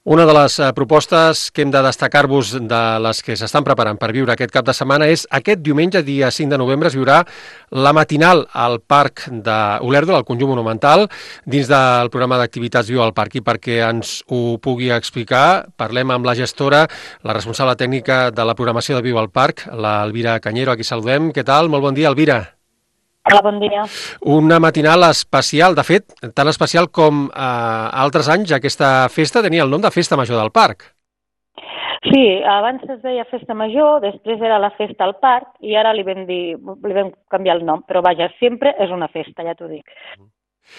Una de les propostes que hem de destacar-vos de les que s'estan preparant per viure aquest cap de setmana és aquest diumenge, dia 5 de novembre, es viurà la matinal al Parc d'Olèrdola, al Conjunt Monumental, dins del programa d'activitats Viu al Parc. I perquè ens ho pugui explicar, parlem amb la gestora, la responsable tècnica de la programació de Viu al Parc, l'Elvira Cañero, a qui saludem. Què tal? Molt bon dia, Elvira. Hola, bon dia. Una matinal especial, de fet, tan especial com altres anys, aquesta festa tenia el nom de Festa Major del Parc. Sí, abans es deia Festa Major, després era la Festa al Parc i ara li vam canviar el nom, però vaja, sempre és una festa, ja t'ho dic.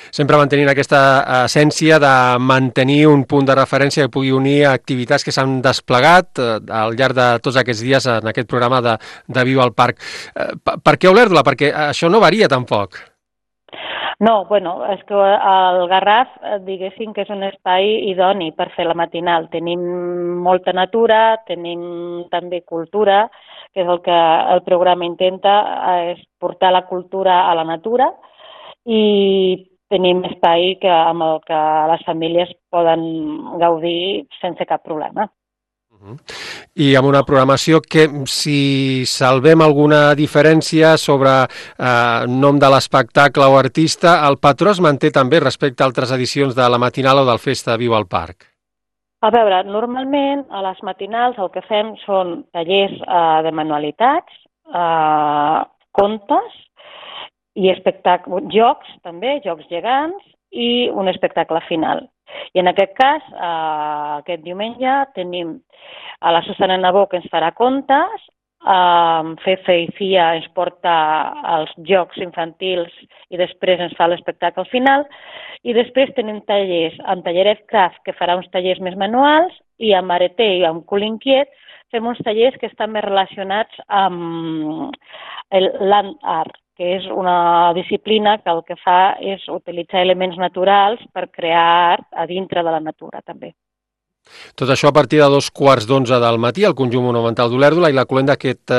Sempre mantenint aquesta essència de mantenir un punt de referència que pugui unir activitats que s'han desplegat al llarg de tots aquests dies en aquest programa de Viu al Parc. Per què Olèrdola? Perquè això no varia tampoc. No, bueno, és que el Garraf, diguéssim que és un espai idoni per fer la matinal. Tenim molta natura, tenim també cultura, que és el que el programa intenta, és portar la cultura a la natura, i tenim espai amb el que les famílies poden gaudir sense cap problema. I amb una programació que, si salvem alguna diferència sobre nom de l'espectacle o artista, el patró es manté també respecte a altres edicions de la matinal o del Festa Viu al Parc. A veure, normalment a les matinals el que fem són tallers de manualitats, contes i jocs també, jocs gegants i un espectacle final. I en aquest cas, aquest diumenge, tenim a la Susana Nabó, que ens farà contes, Fefe i Fia ens porta els jocs infantils i després ens fa l'espectacle final, i després tenim tallers amb Talleret Craft, que farà uns tallers més manuals, i amb Areté i amb Cul Inquiet fem uns tallers que estan més relacionats amb el land art, que és una disciplina que el que fa és utilitzar elements naturals per crear art a dintre de la natura, també. Tot això a partir de 11:15 del matí al Conjunt Monumental d'Olèrdola i la cloenda d'aquest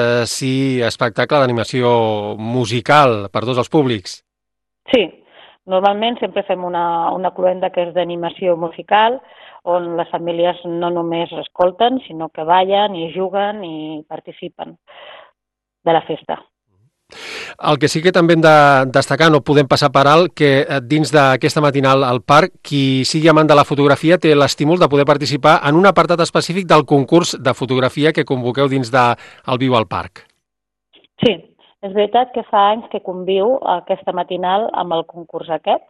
espectacle d'animació musical per tots els públics. Sí, normalment sempre fem una cloenda que és d'animació musical, on les famílies no només escolten, sinó que ballen i juguen i participen de la festa. El que sí que també hem de destacar, no podem passar per alt, que dins d'aquesta matinal al parc, qui sigui amant de la fotografia té l'estímul de poder participar en un apartat específic del concurs de fotografia que convoqueu dins del Viu al Parc. Sí, és veritat que fa anys que conviu aquesta matinal amb el concurs aquest,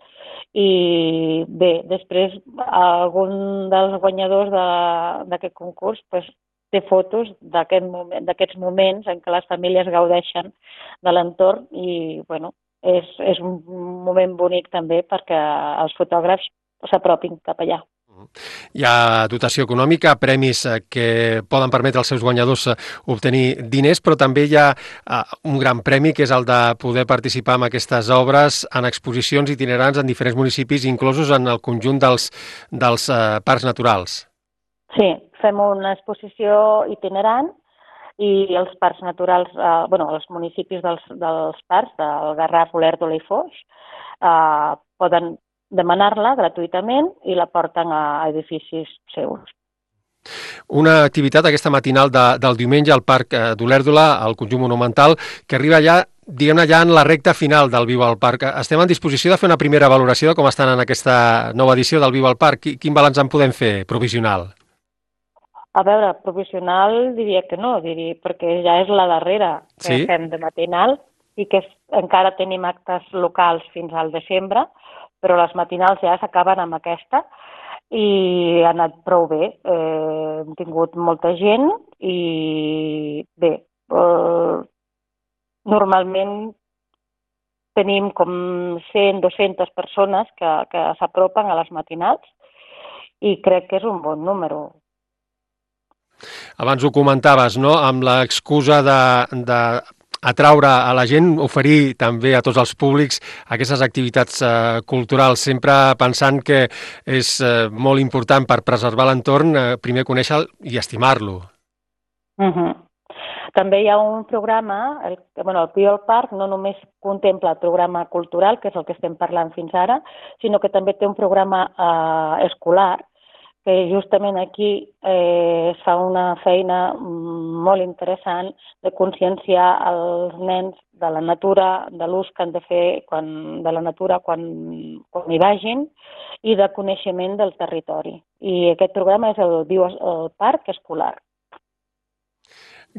i bé, després algun dels guanyadors d'aquest concurs té fotos d'aquests moments en què les famílies gaudeixen de l'entorn i, bueno, és un moment bonic també perquè els fotògrafs s'apropin cap allà. Hi ha dotació econòmica, premis que poden permetre als seus guanyadors obtenir diners, però també hi ha un gran premi, que és el de poder participar en aquestes obres en exposicions itinerants en diferents municipis, inclosos en el conjunt dels parcs naturals. Sí, fem una exposició itinerant i els parcs naturals, els municipis dels parcs, del Garraf, Olèrdola i Foix, poden demanar-la gratuïtament i la porten a edificis seus. Una activitat, aquesta matinal del diumenge al Parc d'Olèrdola, al Conjunt Monumental, que arriba ja, diguem-ne, ja en la recta final del Viu al Parc. Estem en disposició de fer una primera valoració de com estan en aquesta nova edició del Viu al Parc. Quin balanç en podem fer, provisional? A veure, provisional diria que no, perquè ja és la darrera que fem de matinal i que encara tenim actes locals fins al desembre, però les matinals ja s'acaben amb aquesta i ha anat prou bé. Hem tingut molta gent i bé, normalment tenim com 100-200 persones que s'apropen a les matinals i crec que és un bon número. Abans ho comentaves, no?, amb l'excusa de atraure a la gent, oferir també a tots els públics aquestes activitats culturals, sempre pensant que és molt important per preservar l'entorn, primer conèixer-lo i estimar-lo. També hi ha un programa, el Viu al Parc no només contempla el programa cultural, que és el que estem parlant fins ara, sinó que també té un programa escolar, que justament aquí es fa una feina molt interessant de conscienciar els nens de la natura, de l'ús que han de fer de la natura quan hi vagin i de coneixement del territori. I aquest programa és el Parc Escolar.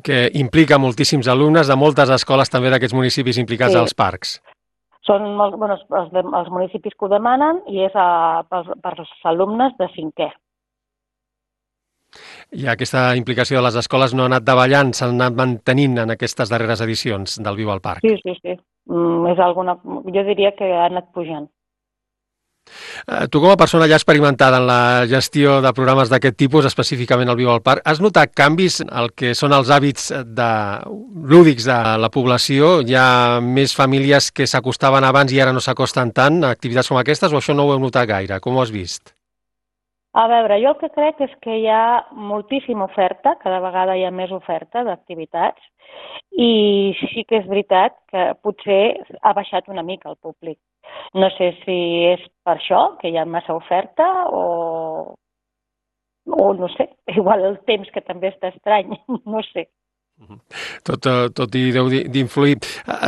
Que implica moltíssims alumnes de moltes escoles també d'aquests municipis implicats als parcs. Són els municipis que ho demanen i és per als alumnes de 5è. I aquesta implicació de les escoles no ha anat davallant, s'ha anat mantenint en aquestes darreres edicions del Viu al Parc. Sí. Jo diria que ha anat pujant. Tu, com a persona ja experimentada en la gestió de programes d'aquest tipus, específicament el Viu al Parc, has notat canvis al que són els hàbits lúdics de la població? Hi ha més famílies que s'acostaven abans i ara no s'acosten tant a activitats com aquestes, o això no ho heu notat gaire? Com ho has vist? A veure, jo el que crec és que hi ha moltíssima oferta, cada vegada hi ha més oferta d'activitats, i sí que és veritat que potser ha baixat una mica el públic. No sé si és per això, que hi ha massa oferta, o no sé, igual el temps que també està estrany, no sé. Tot hi deu d'influir.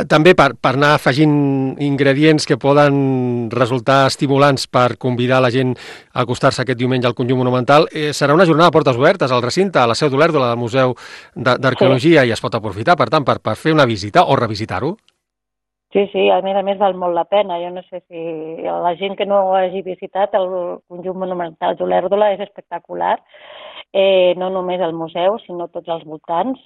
També per anar afegint ingredients que poden resultar estimulants per convidar la gent a acostar-se aquest diumenge al Conjunt Monumental, serà una jornada de portes obertes al recinte, a la seu d'Olèrdola, del Museu d'Arqueologia, i es pot aprofitar, per tant, per fer una visita o revisitar-ho. Sí, a més val molt la pena. Jo no sé si la gent que no hagi visitat el Conjunt Monumental d'Olèrdola és espectacular. No només el museu, sinó tots els voltants.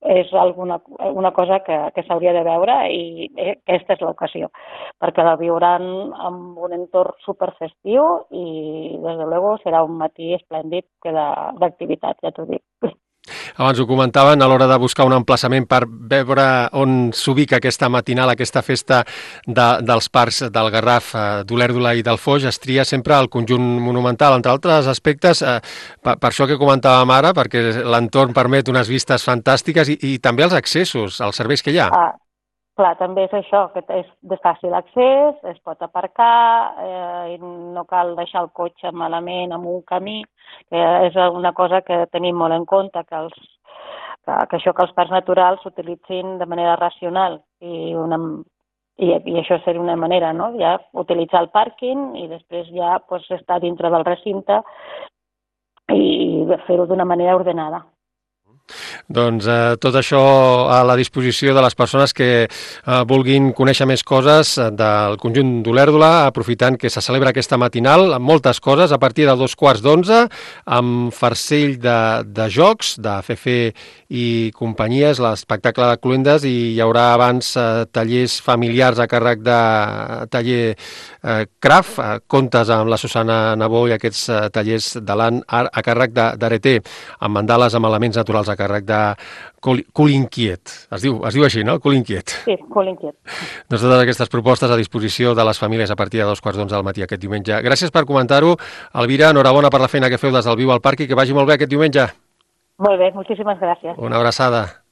És una cosa que s'hauria de veure i aquesta és l'ocasió, perquè la viuran amb un entorn superfestiu i, des de luego, serà un matí esplèndid d'activitat, ja t'ho dic. Abans ho comentaven, a l'hora de buscar un emplaçament per veure on s'ubica aquesta matinal, aquesta festa dels parcs del Garraf, d'Olèrdola i del Foix, es tria sempre el Conjunt Monumental, entre altres aspectes, per això que comentàvem ara, perquè l'entorn permet unes vistes fantàstiques i també els accessos, els serveis que hi ha. Clar, també és això, que és de fàcil accés, es pot aparcar, i no cal deixar el cotxe malament en un camí, que és una cosa que tenim molt en compte, que els parcs naturals s'utilitzin de manera racional i això seria una manera, no? Ja utilitzar el pàrquing i després ja estar dintre del recinte i fer-ho d'una manera ordenada. Doncs tot això a la disposició de les persones que vulguin conèixer més coses del Conjunt d'Olèrdola, aprofitant que se celebra aquesta matinal amb moltes coses a partir de 11:15, amb farcell de jocs, de Fefe i companyies, l'espectacle de cluendes, i hi haurà abans tallers familiars a càrrec de taller Craft, contes amb la Susana Nabó i aquests tallers de l'An a càrrec d'Areté, amb mandales amb elements naturals a càrrec de Cul Inquiet. Es diu així, no? Cul Inquiet. Sí, Cul Inquiet. Doncs totes aquestes propostes a disposició de les famílies a partir de 11:15 del matí aquest diumenge. Gràcies per comentar-ho. Elvira, enhorabona per la feina que feu des del Viu al Parc i que vagi molt bé aquest diumenge. Molt bé, moltíssimes gràcies. Una abraçada.